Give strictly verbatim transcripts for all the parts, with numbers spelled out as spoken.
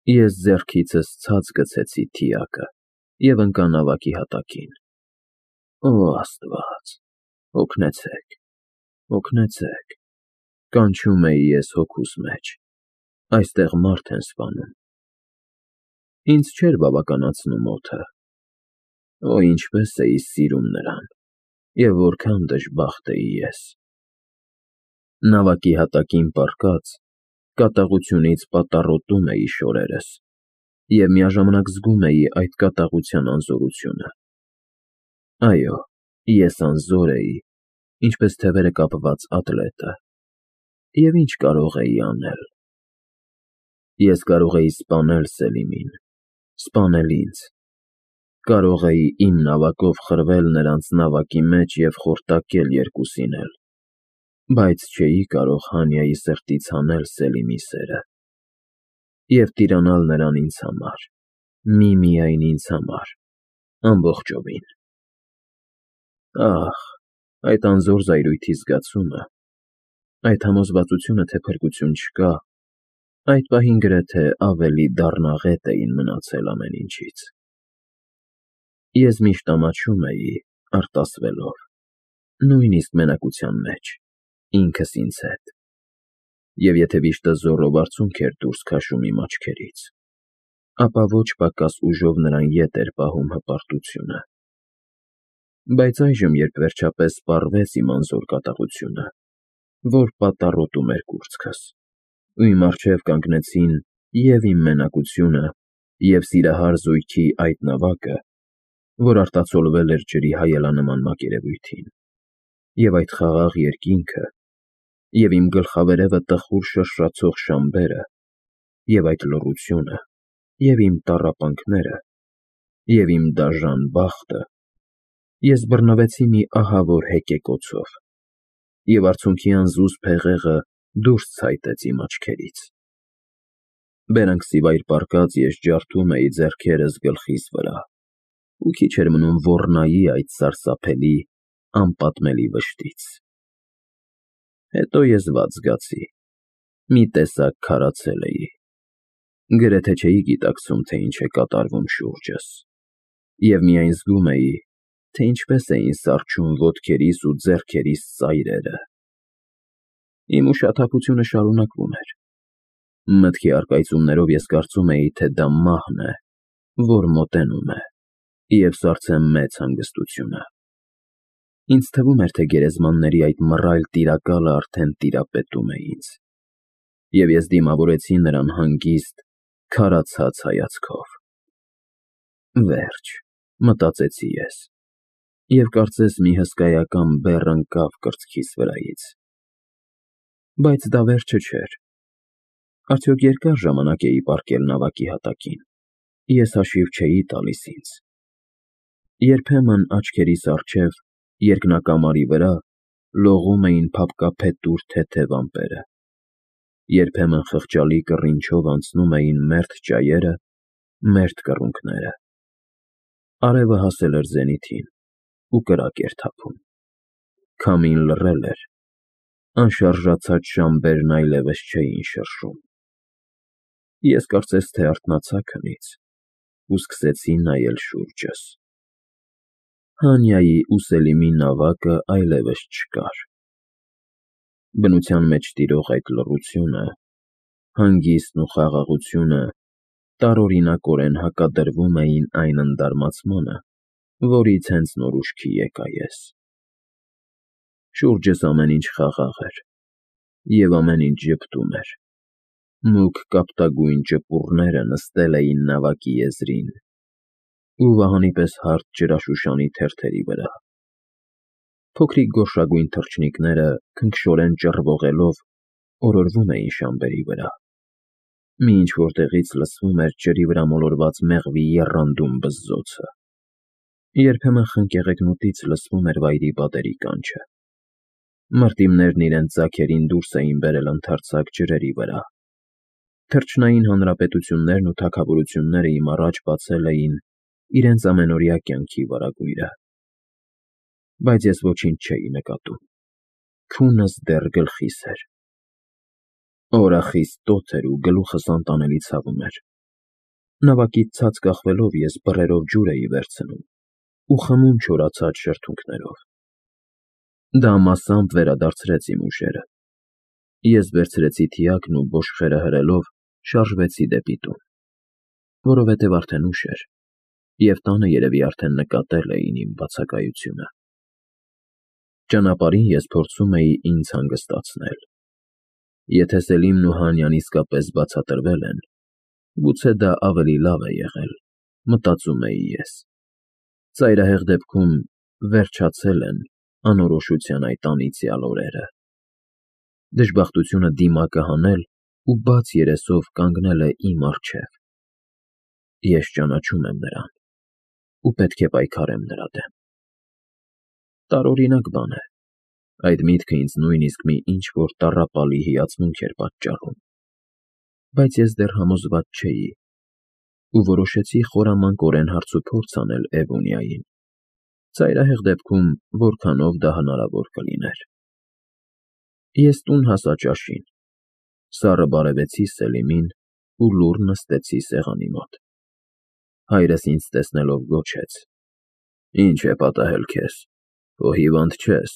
Ես ձեռքիցս ցած գցեցի թիակը և ընկա նավակի հատակին։ Օ Աստված, օգնեցեք, օգնեցեք, կանչում էի ես հոգուս մեջ, այստեղ մարդ են սպանում։ Ինձ չէր բավականացնում օդը, օ ինչպես էի սիրում նրան, և որքան դժբախտ էի ես։ Նավակի հատակին պառկած, կատաղությունից պատառոտում էի շորերս և միաժամանակ զգում էի այդ կատաղության անզորությունը։ Այո, ես անզոր էի, ինչպես թևերը կապված ատլետը, և ի՞նչ կարող էի անել։ Ես կարող էի սպանել Սելիմին, սպանել ինձ, կարող էի իմ նավակով խրվել նրանց նավակի մեջ և խորտակել երկուսին էլ, բայց չէի կարող Հանյայի սրտից հանել Սելիմի սերը և տիրանալ նրան ինձ համար, միմիայն ինձ համար, ամբողջովին։ Ահ, այդ անզոր զայրույթի զգացումը, այդ համոզվածությունը, թե փրկություն չկա, այդ պահին գրեթե ավելի դառնաղետ էին մնացել ամեն ինչից։ Ես միշտ ամաչում էի, արտասվելով, նույնիսկ մենակության մեջ, ինքս ինձ հետ, և եթե վիշտը զոռով արցունք էր դուրս քաշում իմ աչքերից, ապա ոչ պակաս ուժով նրան ետ էր պահում հպարտությունը։ Բայց այժմ, երբ վերջապես պառվեց իմ անզոր կատաղությունը, որ պատառոտում էր կուրծքս, ու իմ առջև կանգնեցին և՛ իմ մենակությունը, և՛ սիրահար զույգի այդ նավակը, որ արտացոլվել էր ջրի հայելանման մակերևույթին, և այդ խաղաղ երկինքը, և իմ գլխավերևը տխուր շրշացող շամբերը, և այդ լռությունը, և իմ տառապանքները, և իմ դաժան բախտը, ես բռնվեցի մի ահավոր հեկեկոցով, և արցունքի անզուզ փեղեղը դուրս ցայտեց իմ աչքերից։ Բերանքսիվայր պառկած ես ջարդում էի ձեռքերս գլխիս վրա ու քիչ էր մնում ոռնայի այդ սարսափելի, անպատմելի վշտից։ Հետո ես վատ զգացի, մի տեսակ քարացել էի, գրեթե չէի գիտակցում, թե ինչ է կատարվում շուրջս, և միայն զգում էի, թե ինչպես էին սառչում ոտքերիս ու ձեռքերիս ծայրերը։ Իմ ուշաթափությունը շարունակվում էր։ Մտքի առկայծումներով ես կարծում էի, թե դա մահն է, որ մոտենում է, և սառցեմ մեծ հանգստությունը։ Ինձ թվում էր, թե գերեզմանների այդ մռայլ տիրակալը արդեն տիրապետում է ինձ, և ես դիմավորեցի նրան հանգիստ, քարացած հայացքով։ Վերջ, մտածեցի ես, և կարծես մի հսկայական բեռ ընկավ կրծքիս վրայից։ Բայց դա վերջը չէր։ Արդյոք երկա՞ր ժամանակ էի պառկել նավակի հատակին, ես հաշիվ չէի տալիս ինձ։ Երբեմն աչքերիս առջև, երկնակամարի վրա, լողում էին փափկափետուր թեթև ամպերը, երբեմն խղճալի կռինչով անցնում էին մերթ ճայերը, մերթ կռունկները։ Արևը հասել էր զենիթին ու կրակ էր թափում, քամին լռել էր, անշարժացած շամբերն այլևս չէին շրշում։ Ես կարծես թե արթնացա քնից ու սկսեցի նայել շուրջս։ Հանյայի ու Սելիմի նավակը այլևս չկար։ Բնության մեջ տիրող այդ լռությունը, հանգիստն ու խաղաղությունը տարօրինակորեն հակադրվում էին այն ընդարմացմանը, որից հենց նոր ուշքի եկա ես։ Շուրջս ամեն ինչ խաղաղ էր, և ամեն ինչ ժպտում էր, մուգ կապտագույն ճպուռները նստել էին նավակի եզրին ու վահանի պես հարթ ջրաշուշանի թերթերի վրա։ Փոքրիկ գորշագույն թռչնիկները քնքշորեն ճռվողելով օրորվում էին շամբերի վրա։ Մի ինչ֊որ տեղից լսվում էր ջրի վրա մոլորված մեղվի եռանդուն բզզոցը։ Երբեմն խնկեղենոտից լսվում էր վայրի պատերի կանչը։ Մրտիմներն իրենց ձագերին դուրս էին բերել ընդարձակ ջրերի վրա։ Թռչնային հանրապետություններն ու թագավորությունները իմ առաջ բացել էին իրենց ամենօրյա կյանքի վարագույրը։ Բայց ես ոչինչ չէի նկատում, քունս դեռ գլխիս էր։ Օրախիստ տոթ էր ու գլուխս անտանելի ցավում էր, Նավակից ցած կախվելով ես բռերով ջուր էի վերցնում ու խմում չորացած շրթունքներով։ Դա մասամբ վերադարձրեց իմ ուժերը։ Ես վերցրեցի թիակն ու բոշխերը հրելով շարժվեցի դեպի տուն, որովհետև արդեն ուշ էր, և տանը երևի արդեն նկատել էին իմ բացակայությունը։ Ճանապարհին ես փորձում էի ինձ հանգստացնել։ Եթե Սելիմն ու Հանյան իսկապես բացատրվել են, գուցե դա ավելի լավ է եղել, մտածում էի ես։ Ծայրահեղ դեպքում վերջացել են անորոշության այդ անիծյալ օրերը։ Դժբախտությունը դիմակը հանել ու բաց երեսով կանգնել է իմ առջև։ Ես ճանաչում եմ նրան ու պետք է պայքարեմ նրա դեմ։ Տարօրինակ բան է, այդ միտքը ինձ նույնիսկ մի ինչ-որ տառապալի հիացմունք էր պատճառում, բայց ես դեռ համոզված չէի ու որոշեցի խորամանկորեն հարցուփորձ անել Էվոնիային, ծայրահեղ դեպքում որքանով դա հնարավոր կլիներ։ Ես տուն հասա ճաշին, սառը բարևեցի Սելիմին ու լուռ նստեցի սեղանի մոտ։ Հայրս ինձ տեսնելով գոչեց. «Ի՞նչ է պատահել քեզ, քո հիվանդ չես»։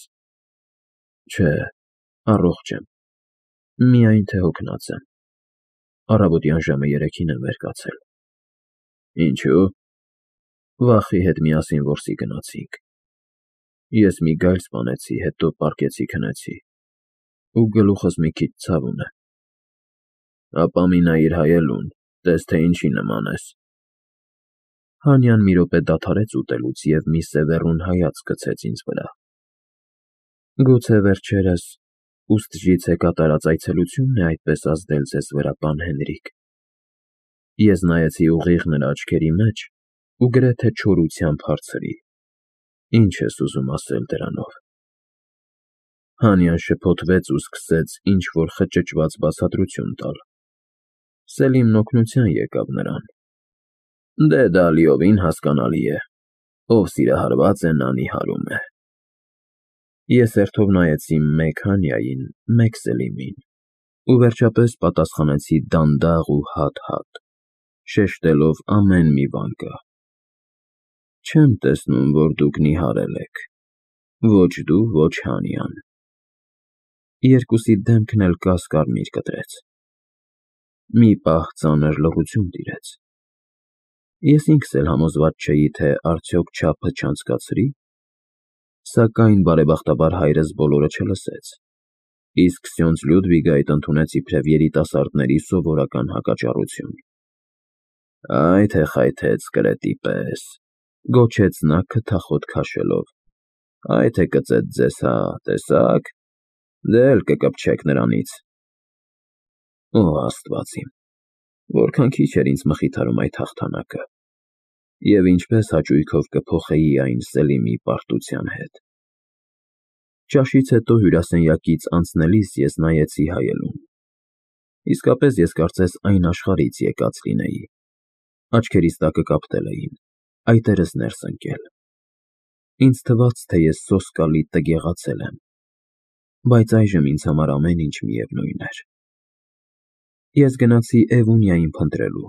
Չէ, առողջ եմ, միայն թե հոգնած եմ, առավոտյան ժամը երեքին եմ վեր կացել։ Ինչո՞ւ։ Վախի հետ միասին որսի գնացինք։ Ես մի գայլ սպանեցի, հետո պառկեցի քնեցի, ու գլուխս մի քիչ ցավ ունե։ Ապա մի նայիր հայելուն, տես թե ինչի նման ես։ Հանյան մի րոպե դադարեց ուտելուց և մի սևեռուն հայացք գցեց ինձ վրա։ Գուցե վերջերս ուստժիցե կատարած այցելությունն է այդպես ազդել ձեզ վրա, պան Հենրիկ։ Ես նայեցի ուղիղ նրա աչքերի մեջ ու գրեթե չորությամբ հարցրի. Ինչ ես ուզում ասել դրանով։ Հանյան շփոթվեց ու սկսեց ինչ-որ խճճված բացատրություն տալ։ Սելիմն օգնության եկավ նրան։ Դե դա լիովին հասկանալի է, ով սիրահարված է, նա նիհարում է։ Ես հերթով նայեցի մեկ Հանյային, մեկ Սելիմին ու վերջապես պատասխանեցի դանդաղ ու հատ֊հատ, շեշտելով ամեն մի վանկը. Չեմ տեսնում, որ դուք նիհարել եք, ոչ դու, ոչ Հանյան։ Երկուսի դեմքն էլ կաս֊կարմիր կտրեց։ Մի պահ ծանր լռություն տիրեց։ Ես ինքս էլ համոզված չէի, թե արդյոք չափը չանցկացրի, սակայն բարեբախտաբար հայրս բոլորը չլսեց, իսկ սյունձ Լյուդվիգը այդ ընդունեց իբրև երիտասարդների սովորական հակաճառություն։ Այ թե խայթեց կրետի պես, գոչեց նա քթախոտ քաշելով, այ թե կծեց ձեզ, հա, տեսա՞ք, դե էլ կկպչեք նրանից։ Օ Աստված իմ, որքան քիչ էր ինձ մխիթարում այդ հաղթանակը, և ինչպես հաճույքով կփոխեի այն Սելիմի պարտության հետ։ Ճաշից հետո հյուրասենյակից անցնելիս ես նայեցի հայելուն։ Իսկապես ես կարծես այն աշխարհից եկած լինեի։ Աչքերիս տակը կապտել էին, այտերս ներս ընկել։ Ինձ թվաց, թե ես սոսկալի տգեղացել եմ, բայց այժմ ինձ համար ամեն ինչ միևնույն էր։ Ես գնացի Էվոնիային փնտրելու։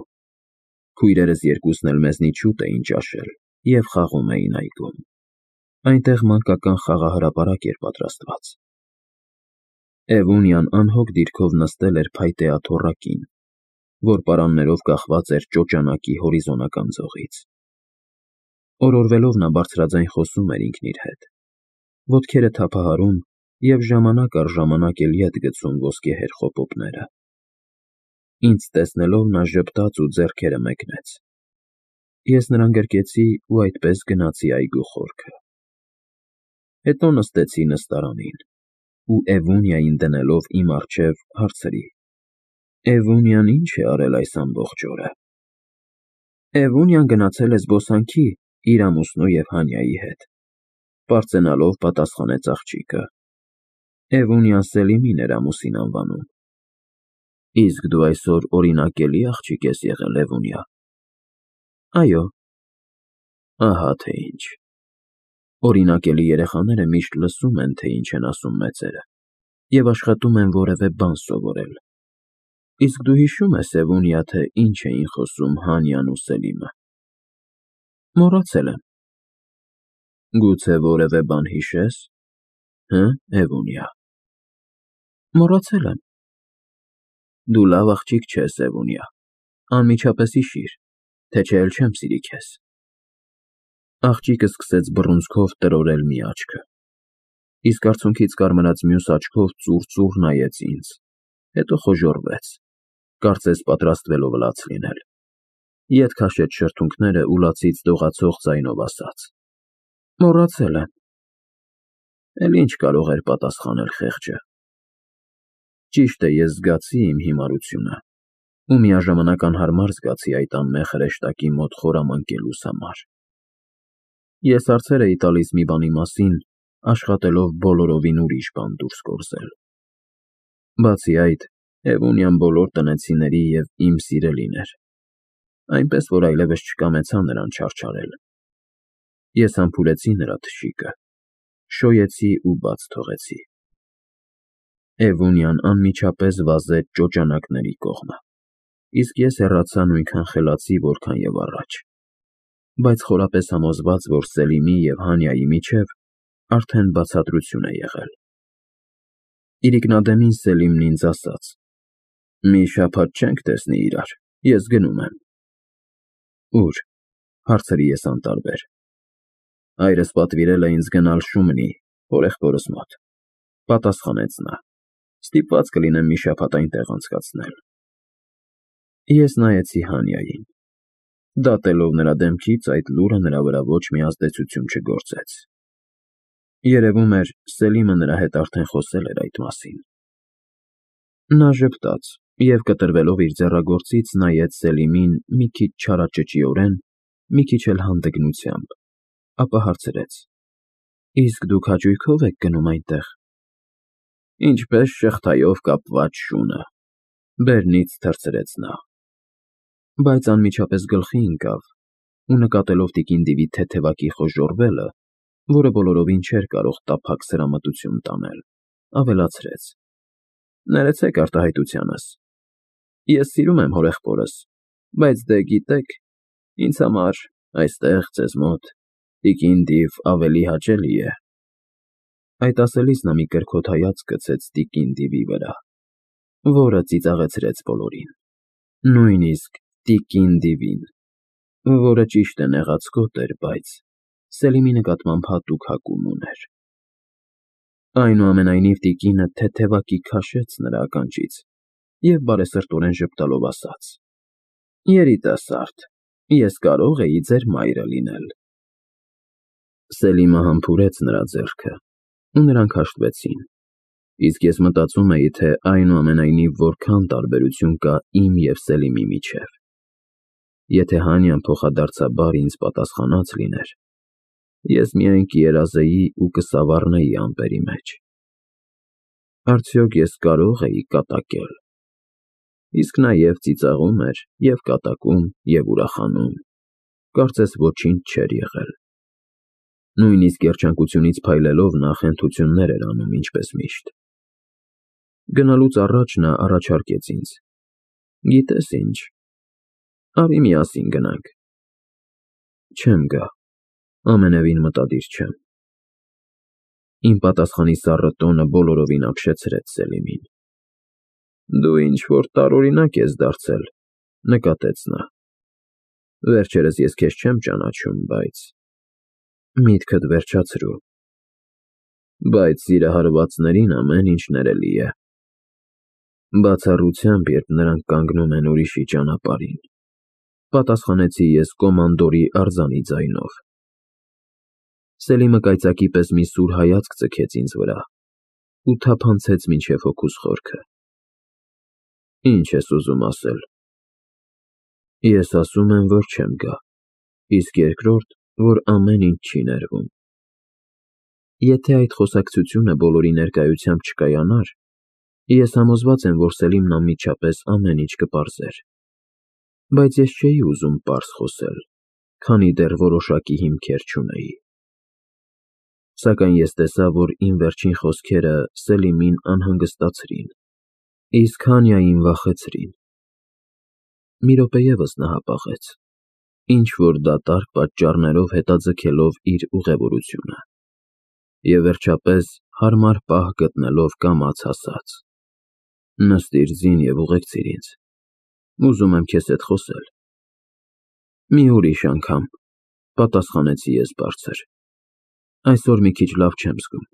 Քույրերս երկուսն էլ մեզնից շուտ էին ճաշել և խաղում էին այգում։ Այնտեղ մանկական խաղահրապարակ էր պատրաստված։ Էվոնիան անհոգ դիրքով նստել էր փայտե աթոռակին, որ պարաններով կախված էր ճոճանակի հորիզոնական ձողից։ Օրորվելով նա բարձրաձայն խոսում էր ինքն իր հետ, ոտքերը թափահարում և ժամանակ առ ժամանակ էլ ետ գցում ոսկեհեր խոպոպները։ Ինձ տեսնելով նա ժպտաց ու ձեռքերը մեկնեց։ Ես նրան գրկեցի ու այդպես գնացի այգու խորքը։ Հետո նստեցի նստարանին ու Էվոնիային դնելով իմ առջև հարցրի. Էվոնիան ի՞նչ է արել այս ամբողջ օրը։ Էվոնիան գնացել է զբոսանքի իր ամուսնու և Հանյայի հետ, պարծենալով պատասխանեց աղջիկը։ Էվոնիան Սելիմին էր ամուսին անվանում։ Իսկ դու այսօր օրինակելի աղջիկ ես եղել, Էվոնիա։ Այո։ Ահա թե ինչ։ Օրինակելի երեխաները միշտ լսում են, թե ինչ են ասում մեծերը, և աշխատում են որևէ բան սովորել։ Իսկ դու հիշո՞ւմ ես, Էվոնիա, թե ինչ էին խոսում Հանյան ու Սելիմը։ Մոռացել եմ։ Գուցե որևէ բան հիշե՞ս, հը, Էվոնիա։ Մոռացել եմ։ Դու լավ աղջիկ չես, Էվոնիա, անմիջապես հիշիր, թե չէ էլ չեմ սիրի քեզ։ Աղջիկը սկսեց բռունցքով տրորել մի աչքը, իսկ արցունքից կարմրած մյուս աչքով ծուռ-ծուռ նայեց ինձ, հետո խոժոռվեց, կարծես պատրաստվելով լաց լինել։ Ետ քաշեց շրթունքները ու լացից դողացող ձայնով ասաց. Մոռացել եմ։ Էլ ինչ կարող էր պատասխանել խեղճը։ Ճիշտ է, ես զգացի իմ հիմարությունը ու միաժամանակ անհարմար զգացի այդ անմեղ հրեշտակի մոտ խորամանկելուս համար։ Ես հարցեր էի տալիս մի բանի մասին, աշխատելով բոլորովին ուրիշ բան դուրս գործել։ Բացի այդ, Էվոնիան բոլոր տնեցիների և իմ սիրելին էր, այնպես որ այլևս չկամեցա նրան չարչարել։ Ես համբուրեցի նրա թշիկը, շոյեցի ու բաց թողեցի։ Էվոնիան անմիջապես վազեց ճոճանակների կողմը, իսկ ես հեռացա նույնքան խելացի, որքան և առաջ, բայց խորապես համոզված, որ Սելիմի և Հանյայի միջև արդեն բացատրություն է եղել։ Իրիկնադեմին Սելիմն ինձ ասաց. Մի շաբաթ չենք տեսնի իրար, ես գնում եմ։ Ո՞ւր, հարցրի ես անտարբեր։ Հայրս պատվիրել է ինձ գնալ Շումնի, հորեղբորս մոտ, պատասխանեց նա, ստիպված կլինեմ մի շաբաթ այնտեղ անցկացնել։ Ես նայեցի Հանյային։ Դատելով նրա դեմքից, այդ լուրը նրա վրա ոչ մի ազդեցություն չգործեց։ Երևում էր, Սելիմը նրա հետ արդեն խոսել էր այդ մասին։ Նա ժպտաց և կտրվելով իր ձեռագործից նայեց Սելիմին մի քիչ չարաճճիորեն, մի քիչ էլ հանդգնությամբ, ապա հարցրեց. Իսկ դուք հաճույքո՞վ եք գնում այնտեղ։ Ինչպես շղթայով կապված շունը, բերնից թռցրեց նա։ Բայց անմիջապես գլխի ընկավ ու նկատելով տիկին Դիվի թեթևակի խոժոռվելը, որը բոլորովին չէր կարող տափակ սրամտություն տանել, ավելացրեց. Ներեցեք արտահայտությանս։ Ես սիրում եմ հորեղբորս, բայց դե գիտեք, ինձ համար այստեղ ձեզ մոտ տիկին Դիվ ավելի հաճելի է։ Այդ ասելիս նա մի կրքոտ հայացք գցեց տիկին Դիվի վրա, որը ծիծաղեցրեց բոլորին, նույնիսկ տիկին Դիվին, որը ճիշտ է նեղացկոտ էր, բայց Սելիմի նկատմամբ հատուկ հակում ուներ։ Այնուամենայնիվ տիկինը թեթևակի քաշեց նրա ականջից և բարեսրտորեն ժպտալով ասաց. Երիտասարդ, ես կարող էի ձեր մայրը լինել։ Սելիմը համբուրեց նրա ձեռքը, ու նրանք հաշտվեցին, իսկ ես մտածում էի, թե այնուամենայնիվ որքան տարբերություն կա իմ և Սելիմի միջև։ Եթե Հանյան փոխադարձաբար ինձ պատասխանած լիներ, ես միայն կերազեի ու կսավառնեի ամպերի մեջ։ Արդյոք ես կարող էի կատակել։ Իսկ նա և ծիծաղում էր, և կատակում, և ուրախանում, կարծես ոչինչ չէր եղել։ Նույնիսկ երջանկությունից փայլելով նա խենթություններ էր անում, ինչպես միշտ։ Գնալուց առաջ նա առաջարկեց ինձ. Գիտես ինչ, արի միասին գնանք։ Չեմ գա, ամենևին մտադիր չեմ։ Իմ պատասխանի սառը տոնը բոլորովին ապշեցրեց Սելիմին։ Դու ինչ-որ տարօրինակ ես դարձել, նկատեց նա։ Վերջերս ես քեզ չեմ ճանաչում, բայց… Միտքդ վերջացրու։ Բայց սիրահարվածներին ամեն ինչ ներելի է։ Բացառությամբ, երբ նրանք կանգնում են ուրիշի ճանապարհին, պատասխանեցի ես կոմանդորի արձանի ձայնով։ Սելիմը կայծակի պես մի սուր հայացք ձգեց ինձ վրա ու թափանցեց մինչև հոգուս խորքը։ Ինչ ես ուզում ասել։ Ես ասում եմ, որ չեմ գա, իսկ երկրորդ, որ ամեն ինչ չի ներվում։ Եթե այդ խոսակցությունը բոլորի ներկայությամբ չկայանար, ես համոզված եմ, որ Սելիմն անմիջապես ամեն ինչ կպարզեր։ Բայց ես չէի ուզում պարզ խոսել, քանի դեռ որոշակի հիմքեր չունեի։ Սակայն ես տեսա, որ իմ վերջին խոսքերը Սելիմին անհանգստացրին, Իսկ Հանիային վախեցրին։ Մի րոպե ևս նա հապաղեց, ինչ-որ դատարկ պատճառներով հետաձգելով իր ուղևորությունը, և վերջապես հարմար պահ գտնելով կամաց ասաց. «Նստիր ձին և ուղեկցիր ինձ, ուզում եմ քեզ հետ խոսել»։ «Մի ուրիշ անգամ», պատասխանեցի ես բարձր, «այսօր մի քիչ լավ չեմ զգում»։